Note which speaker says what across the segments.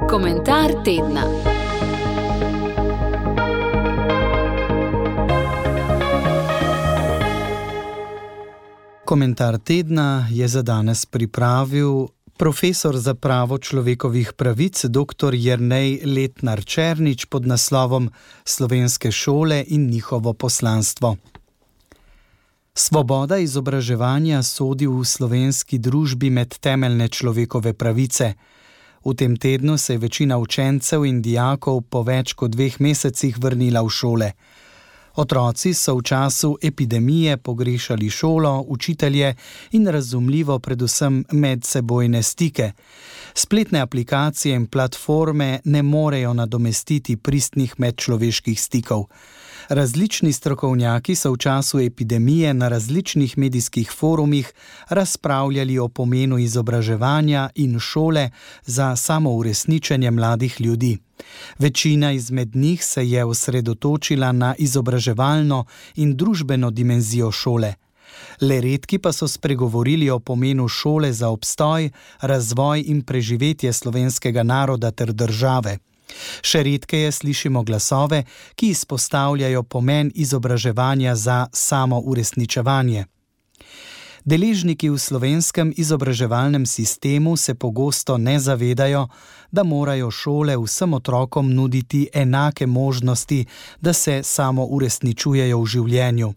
Speaker 1: Komentar tedna.
Speaker 2: Komentar tedna je za danes pripravil profesor za pravo človekovih pravic dr. Jernej Letnar-Černič pod naslovom Slovenske šole in njihovo poslanstvo. Svoboda izobraževanja sodi v slovenski družbi med temeljne človekove pravice. V tem tednu se je večina učencev in dijakov po več kot 2 mesecih vrnila v šole. Otroci so v času epidemije pogrešali šolo, učitelje in razumljivo predvsem medsebojne stike. Spletne aplikacije in platforme ne morejo nadomestiti pristnih medčloveških stikov. Različni strokovnjaki so v času epidemije na različnih medijskih forumih razpravljali o pomenu izobraževanja in šole za samouresničenje mladih ljudi. Večina izmed njih se je osredotočila na izobraževalno in družbeno dimenzijo šole. Le redki pa so spregovorili o pomenu šole za obstoj, razvoj in preživetje slovenskega naroda ter države. Še redkeje slišimo glasove, ki izpostavljajo pomen izobraževanja za samouresničevanje. Deležniki v slovenskem izobraževalnem sistemu se pogosto ne zavedajo, da morajo šole vsem otrokom nuditi enake možnosti, da se samouresničujejo v življenju.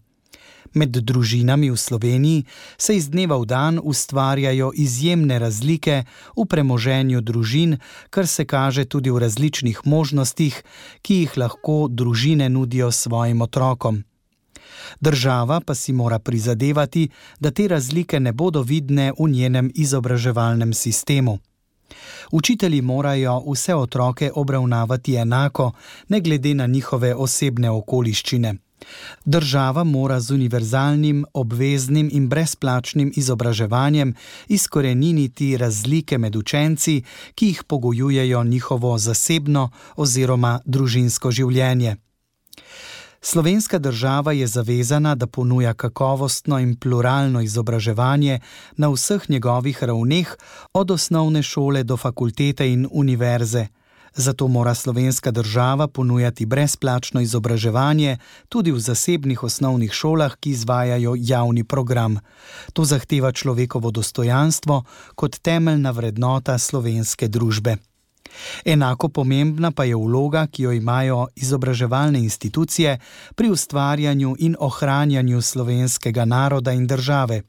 Speaker 2: Med družinami v Sloveniji se iz dneva v dan ustvarjajo izjemne razlike v premoženju družin, kar se kaže tudi v različnih možnostih, ki jih lahko družine nudijo svojim otrokom. Država pa si mora prizadevati, da te razlike ne bodo vidne v njenem izobraževalnem sistemu. Učitelji morajo vse otroke obravnavati enako, ne glede na njihove osebne okoliščine. Država mora z univerzalnim, obveznim in brezplačnim izobraževanjem izkoreniniti razlike med učenci, ki jih pogojujejo njihovo zasebno oziroma družinsko življenje. Slovenska država je zavezana, da ponuja kakovostno in pluralno izobraževanje na vseh njegovih ravneh, od osnovne šole do fakultete in univerze. Zato mora slovenska država ponujati brezplačno izobraževanje tudi v zasebnih osnovnih šolah, ki izvajajo javni program. To zahteva človekovo dostojanstvo kot temeljna vrednota slovenske družbe. Enako pomembna pa je vloga, ki jo imajo izobraževalne institucije pri ustvarjanju in ohranjanju slovenskega naroda in države.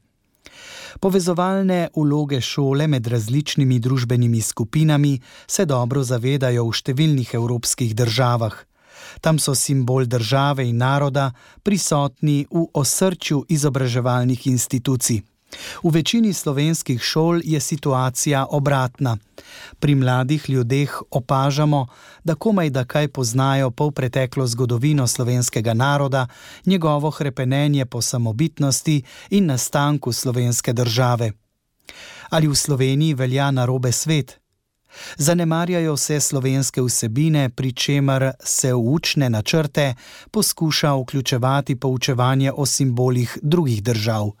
Speaker 2: Povezovalne vloge šole med različnimi družbenimi skupinami se dobro zavedajo v številnih evropskih državah. Tam so simbol države in naroda prisotni v osrčju izobraževalnih institucij. V večini slovenskih šol je situacija obratna. Pri mladih ljudeh opažamo, da komajda kaj poznajo polpreteklo zgodovino slovenskega naroda, njegovo hrepenenje po samobitnosti in nastanku slovenske države. Ali v Sloveniji velja narobe svet? Zanemarjajo se slovenske vsebine, pri čemer se v učne načrte poskuša vključevati poučevanje o simbolih drugih držav.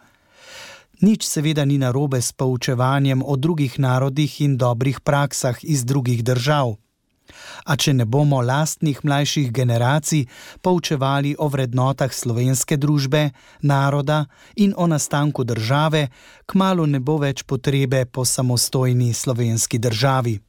Speaker 2: Nič seveda ni narobe s poučevanjem o drugih narodih in dobrih praksah iz drugih držav. A če ne bomo lastnih mlajših generacij poučevali o vrednotah slovenske družbe, naroda in o nastanku države, kmalu ne bo več potrebe po samostojni slovenski državi.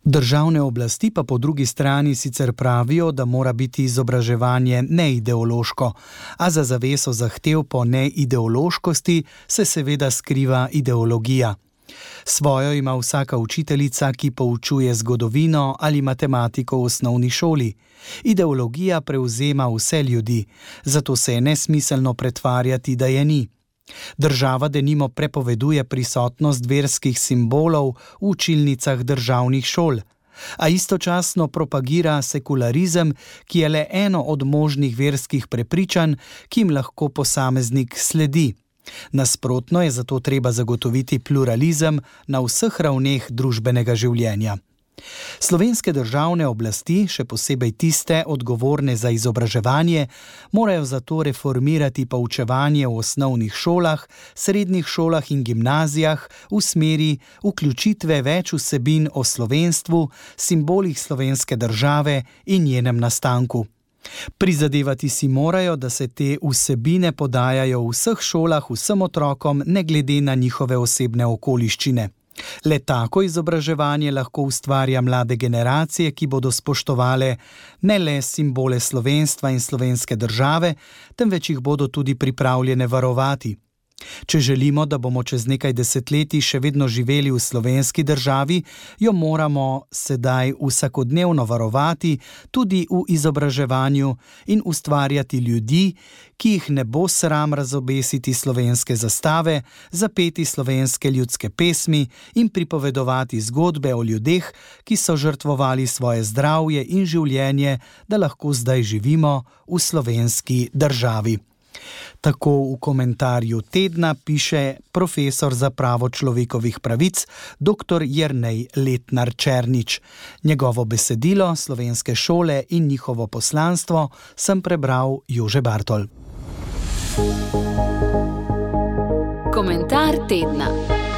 Speaker 2: Državne oblasti pa po drugi strani sicer pravijo, da mora biti izobraževanje neideološko, a za zaveso zahtev po neideološkosti se seveda skriva ideologija. Svojo ima vsaka učiteljica, ki poučuje zgodovino ali matematiko v osnovni šoli. Ideologija prevzema vse ljudi, zato se je nesmiselno pretvarjati, da je ni. Država denimo prepoveduje prisotnost verskih simbolov v učilnicah državnih šol, a istočasno propagira sekularizem, ki je le eno od možnih verskih prepričanj, ki jim lahko posameznik sledi. Nasprotno je zato treba zagotoviti pluralizem na vseh ravneh družbenega življenja. Slovenske državne oblasti, še posebej tiste odgovorne za izobraževanje, morajo zato reformirati poučevanje v osnovnih šolah, srednjih šolah in gimnazijah v smeri vključitve več vsebin o slovenstvu, simbolih slovenske države in njenem nastanku. Prizadevati si morajo, da se te vsebine podajajo v vseh šolah vsem otrokom, ne glede na njihove osebne okoliščine. Le tako izobraževanje lahko ustvarja mlade generacije, ki bodo spoštovale ne le simbole slovenstva in slovenske države, temveč jih bodo tudi pripravljene varovati. Če želimo, da bomo čez nekaj desetletij še vedno živeli v slovenski državi, jo moramo sedaj vsakodnevno varovati tudi v izobraževanju in ustvarjati ljudi, ki jih ne bo sram razobesiti slovenske zastave, zapeti slovenske ljudske pesmi in pripovedovati zgodbe o ljudeh, ki so žrtvovali svoje zdravje in življenje, da lahko zdaj živimo v slovenski državi. Tako v komentarju tedna piše profesor za pravo človekovih pravic dr. Jernej Letnar Černič. Njegovo besedilo Slovenske šole in njihovo poslanstvo sem prebral Jože Bartol.
Speaker 1: Komentar tedna.